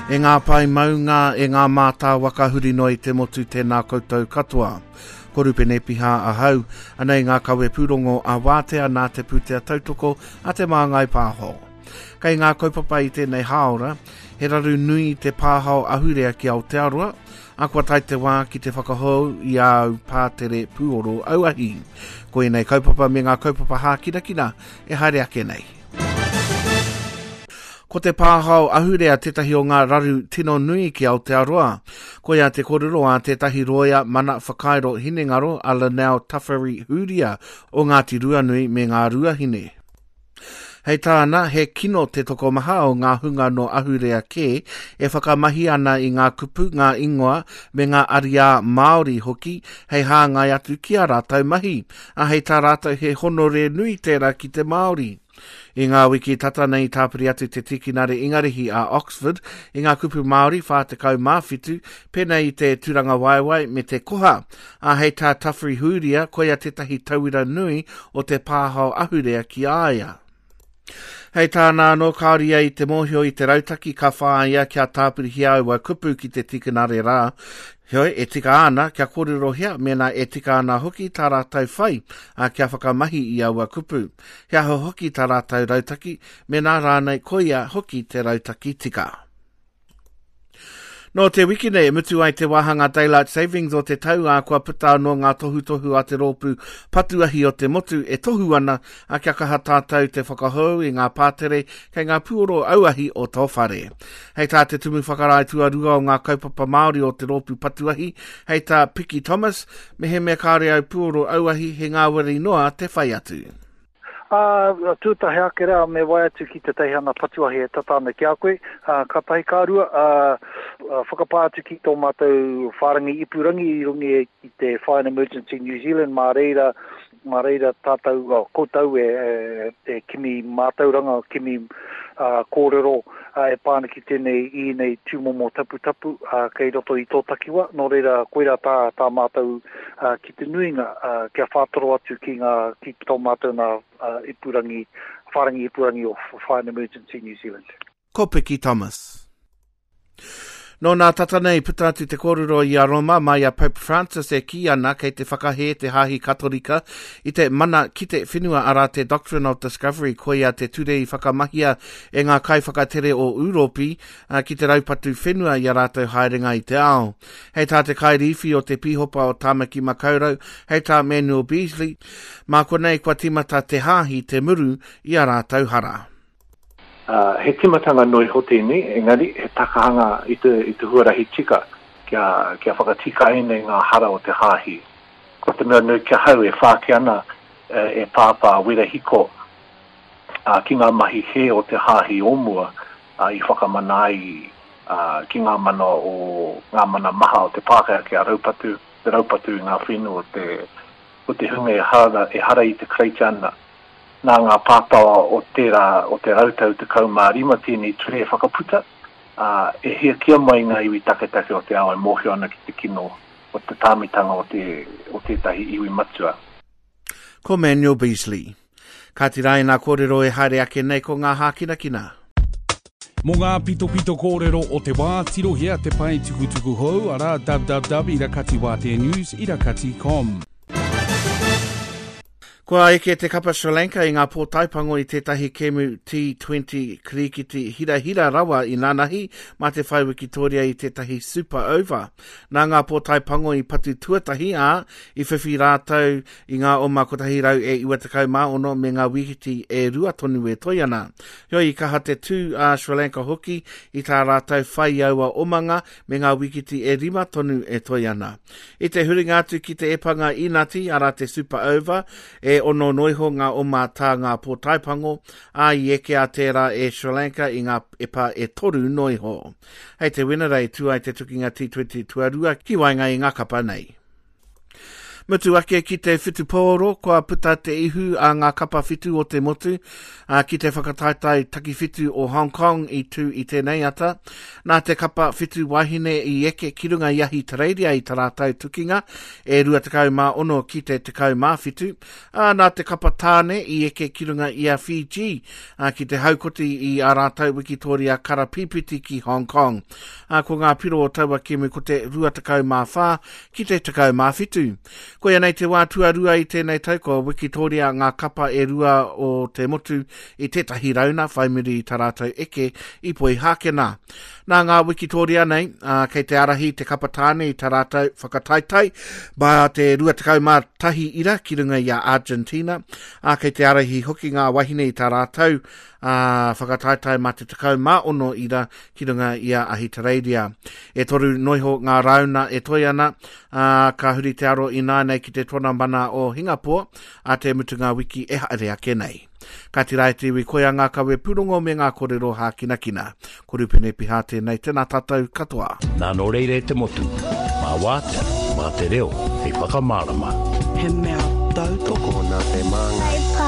E ngā pae maunga, e ngā mātāwaka huri noa i te motu tēnā koutou katoa. Ko Rupene Piha ahau, anei ngā kawe pūrongo a Wātea nā te pūtea tautoko a Te Māngai Pāho. Kei ngā kaupapa i tēnei hāora, he raru nui te pāhao ahurea ki Aotearoa, a kua tae te wā ki te whakahou i āu pātere pūoro auahi. Ko ēnei kaupapa me ngā kaupapa hākinakina e haere ake nei. Ko te pāhao ahurea tētahi o ngā raru tino nui ki Aotearoa. Koia te kōrero a tētahi rōia mana whakairo hinengaro a Linnell Tawhiri Huria o Ngāti Ruanui me Ngā Ruahine. Hei tāna, he kino te tokomaha o ngā hunga nō ahurea kē e whakamahi ana i ngā kupu, ngā ingoa me ngā ariā Māori hoki hei hāngai atu ki ā rātou mahi, ā, hei tā rātou he honore nui tērā ki te Māori. I ngā wiki tata nei i tāpiri atu te tikinare Ingarihi a Oxford i ngā kupu Māori 47, pēnei i te turangawaewae me te koha, ā, hei tā Tawhiri Hūria koia tētahi tauira nui o te pāhao ahurea ki a ia. Hei tāna anō, kāore ia i te mōhio i te rautaki ka whāia kia tāpirihia aua kupu ki te tikinare rā, heoi, e tika ana kia kōrerohia mēnā e tika ana hoki tā rātou whai, ā, kia whakamahi i aua kupu. He aha hoki tā rātou rautaki, mēnā rānei koia hoki te rautaki tika. Nō te wiki nei e mutu ai te wāhanga Daylight Savings o te tau, ā, kua puta anō ngā tohutohu a te rōpū patuahi o te motu e tohu ana ā, kia kaha tātou te whakahou i ngā pātere kei ngā puoro auahi o tō whare. Hei tā te Tumu Whakarae tuarua o ngā kaupapa Māori o te rōpū patuahi, hei tā Piki Thomas, mehemea kāore au puoro auahi he ngāwari noa te whai atu. Ā, tuatahi ake rā me wae atu ki te teihana patuahi e tata ana ki a koe, ā, kātahi ka rua, ā, whakapā atu ki tō mātou whārangi ipurangi i runga i te Fire and Emergency New Zealand, mā reira, mā reira tātou, oh, koutou e, e, e kimi mātauranga, kimi ā, kōrero ā, e pā ana ki tēnei, i ēnei tūmomo taputapu, ā, kei roto i tō takiwā. Nō reira, koirā tā, tā mātou, ā, ki te nuinga, ā, kia whātoro atu ki ngā, ki tō mātou nā ipurangi, whārangi ipurangi o Fire and Emergency New Zealand. Ko Piki Thomas. Nō nā tata nei puta atu te kōrero i a Roma mai a Pope Francis e kī ana kei te whakahē te Hāhi Katorika i te mana ki te whenua arā te Doctrine of Discovery koia te ture i whakamahia e ngā kaiwhakatere o Ūropi ki te raupatu whenua i a rātou haerenga i te ao. Hei tā te kairīwhi o te Pīhopa o Tāmaki Makaurau, hei tā Manuel Beasley, mā konei kua tīmata te Hāhi te muru i a rātou hara. Ā, he tīmatanga noa iho tēnei, engari he takahanga i te, i te huarahi tika kia, kia whakatikaina i ngā hara o te Hāhi. Ko te mea nui ki ahau e whāki ana e Pāpā Werahiko ki ngā mahi hē o te Hāhi o mua, i whakamana ai ki ngā mana o ngā mana maha o te Pākehā kia raupatu, te raupatu i ngā whenua o te, o te hunga ehara, ehara i te Karaitiana. Nā ngā pātawa o tērā, o te rautau 15 tēnei ture e whakaputa, ā, e hiakia mai ngā iwi taketake o te ao e mōhio ana ki te kino o te tāmitanga o te, o tētahi iwi matua. Ko Manuel Beasley. Kāti rā ēnā kōrero e haere ake nei ko ngā hākinakina. Mō ngā pitopito kōrero o te wā, tirohia te pae tukutuku hou, arā, www irakatiwāteanews irakati com. Kua eke te kapa Sri Lanka i ngā pōtaepango i tētahi kēmu T20 kirikiti hirahira rawa i nanahi mā te whai wikitoria i tētahi Super Over. Nā ngā pōtaepango i patu tuatahi, ā, i whiwhi rātou i ngā oma 196 me ngā wīhiti e rua tonu e toe ana. Heoi, i kaha te tū a Sri Lanka hoki i tā rātou whai i aua omanga me ngā wīkiti e rima tonu e toe ana. I te huringa atu ki te epanga inati, arā te Super Over, e ono noa iho ngā oma tā ngā pōtaepango, ā, i ekea tērā e Sri Lanka i ngā epa e toru noa iho. Hei te Wenerei tū ai te tukinga T20 tuarua ki waenga i ngā kapa nei. Mutu ake ki te whutupōro, kua puta te ihu a ngā kapa whitu o te motu, ā, ki te whakataetae takiwhitu o Hong Kong i tū i tēnei ata. Nā te kapa whitu wahine i eke ki runga i Ahitereiria i tā rātou tukinga e 26 ki te 17, ā, nā te kapa tāne i eke ki runga i a Fiji, ā, ki te haukoti i ā rātou wikitōria karapīpiti ki Hong Kong. Ā, ko ngā piro o taua kēmu ko te 24 ki te 17. Koia nei te wā tuarua i tēnei tau kua wikitōria ngā kapa e rua o te motu i tētahi rauna whai muri i tā rātou eke i Poihākena. Nā ngā wikitōria nei, ā, kei te ārahi te kapa tāne i tā rātou whakataetae mā te 21 ira ki runga i a Argentina, ā, kei te ārahi hoki ngā wahine i tā rātou ā, whakataetae mā te 16 ira ki runga i a Ahitereiria. E toru noiho ngā rāuna e toe ana, ā, ka huri te aro ināianei ki te tonamana o Hingapore ā te mutunga wiki e haere ake nei. Kāti rā e te iwi, koia ngā kawe pūrongo me ngā korero hākinakina. Ko Rupene Piha tēnei, tēnā tātou katoa. Nā nō reira e te motu, mā Wātea, mā te reo hei whakamārama. He mea tautoko. Tokona te māngai.